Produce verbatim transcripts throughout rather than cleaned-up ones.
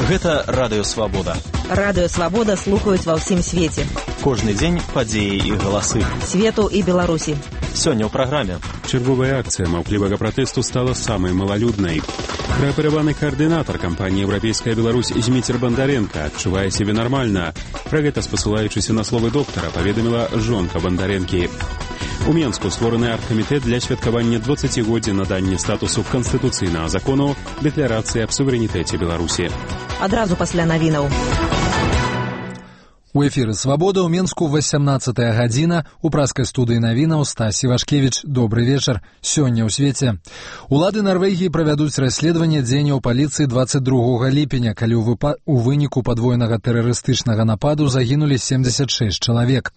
Гэта Радыё Свабода. Радыё Свабода слухаюць ва ўсім свеце. Кожны дзень падзеі і галасы. Свету і Беларусі. Сёння ў праграме. Чарговая акцыя маўклівага пратэсту стала самай малалюднай. Праапераваны каардынатар кампаніі «Еўрапейская Беларусь» Зміцер Бандаренка адчувае сябе нармальна. Пра гэта, спасылаючыся на словы доктара, паведаміла жонка Бандаренкі. У Менску створаны аргкамітэт для святкавання дваццацігоддзя надання статусу канстытуцыйнага закону дэкларацыі аб суверэнітэце Беларусі. Адразу пасля навінаў. У эфіры «Свабода» ў Менску васямнаццатая гадзіна. У праскай студыі навінаў Стась Івашкевіч. Добры вечар. Сёння ў свеце. Улады Нарвегіі правядуць расследаванне дзеянняў паліцыі дваццаць другога ліпеня, калі ў выпа... у выніку падвойнага тэрарыстычнага нападу загінулі семдзесят шэсць чалавек.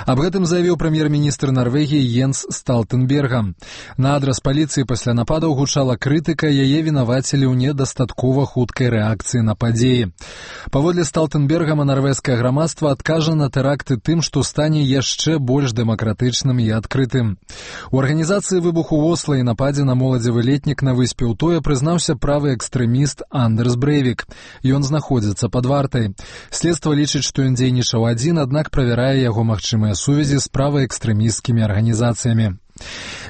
Аб гэтым заявіў прэм'ер-міністр Нарвегіі Йенс Сталтэнберга. На адрас паліцыі пасля нападаў гучала крытыка, яе вінавацілі ў недастаткова хуткай рэакцыі на падзеі. Паводле Сталтэнбергама нарвежскае грамадства адкажа на тэракты тым, што стане яшчэ больш дэмакратычным і адкрытым. У арганізацыі выбуху ў Осла і нападзе на моладзевы летнік на выспе Утоя прызнаўся правы экстрэміст Андерс Брэйвік. Ён знаходзіцца пад вартай. Следства лічыць, што ён дзейнічаў адзін, аднак правярае яго магчымыя сувязі з праваэкстрэмісцкімі арганізацыямі.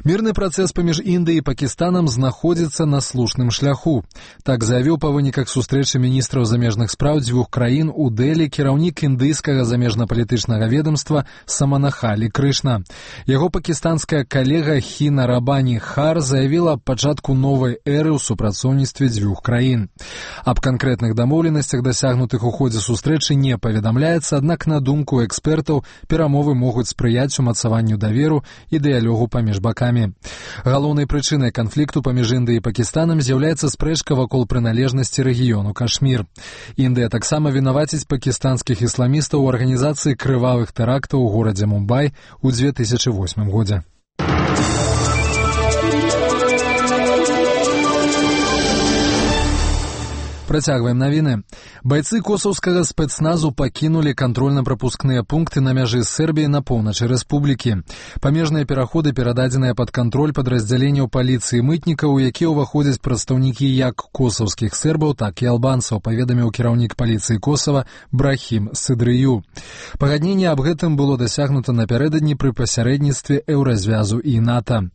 Мірны працэс паміж Індыяй і Пакістанам знаходзіцца на слушным шляху. Так заявіў па выніках сустрэчы міністраў замежных спраў дзвюх краін у Дэлі кіраўнік індыйскага замежна-палітычнага ведомства Саманахалі Крышна. Яго пакістанская калега Хіна Рабані Хар заявіла аб пачатку новай эры ў супрацоўніцтве дзвюх краін. Аб канкрэтных дамоўленасцях, дасягнутых у ходзе сустрэчы, не паведамляецца, аднак на думку экспертаў перамовы могуць спрыяць умацаванню даверу і дыялогу паміж бакамі. Галоўнай прычынай канфлікту паміж Індыяй і Пакістанам з'яўляецца спрэчка вакол прыналежнасці рэгіёну Кашмір. Індыя таксама вінаваціць пакістанскіх ісламістаў у арганізацыі крывавых тэрактаў у горадзе Мумбай у дзве тысячы восьмым годзе. Працягваем навіны. Байцы косаўскага спецназу пакінулі кантрольна-прапускныя пункты на мяжы з Сербіяй на поўначы рэспублікі. Памежныя пераходы перададзеныя пад кантроль падраздзяленняў паліцыі мытнікаў, у якія ўваходзяць прадстаўнікі як косаўскіх сербаў, так і албанцаў, паведаміў кіраўнік паліцыі Косава Брахім Сыдрыю. Пагадненне аб гэтым было дасягнута напярэдадні пры пасярэдніцтве Еўразвязу і НАТО.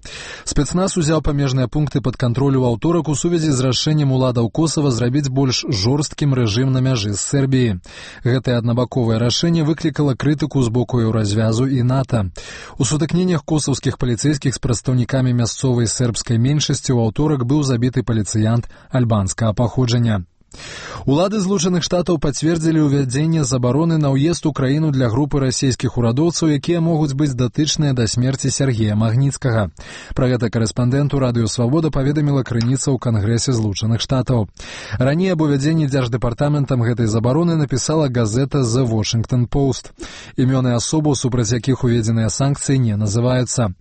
Спецназ узяў памежныя пункты пад кантроль у аўторак у сувязі з рашэннем уладаў Косава зрабіць больш жорсткім рэжым на мяжы з Сербіяй. Гэтае аднабаковае рашэнне выклікала крытыку з боку Еўразвязу і НАТО. У сутыкненнях косаўскіх паліцэйскіх з прадстаўнікамі мясцовай сербскай меншасці ў аўторак быў забіты паліцыянт альбанскага паходжання. Улады Злучаных Штатаў пацвердзілі ўвядзенне забароны на ўезд у краіну для групы расійскіх урадоўцаў, якія могуць быць датычныя да смерці Сергея Магніцкага. Пра гэта карэспандэнту Радыё Свабода паведаміла крыніца ў Кангрэсе Злучаных Штатаў. Раней аб увядзенні дзярждэпартаментам гэтай забароны напісала газета The Washington Post. Імёны асобаў, супраць якіх уведзеныя санкцыі, не называюцца.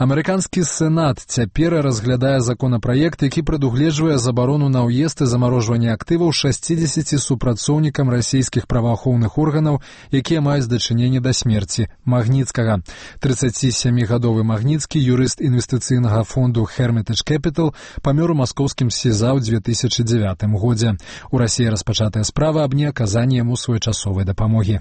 Амерыканскі Сенат цяпер разглядае законапраект, які прадугледжвае забарону на ўезд і замарожванне актываў шасцідзесяці супрацоўнікам расійскіх праваахоўных органаў, якія маюць дачыненне да смерці Магніцкага. трыццацісямігадовы Магніцкі, юрыст інвестыцыйнага фонду Hermitage Capital, памёр у маскоўскім СІЗА ў дзве тысячы дзевятым годзе. У Расіі распачатая справа аб неаказанні яму своечасовай дапамогі.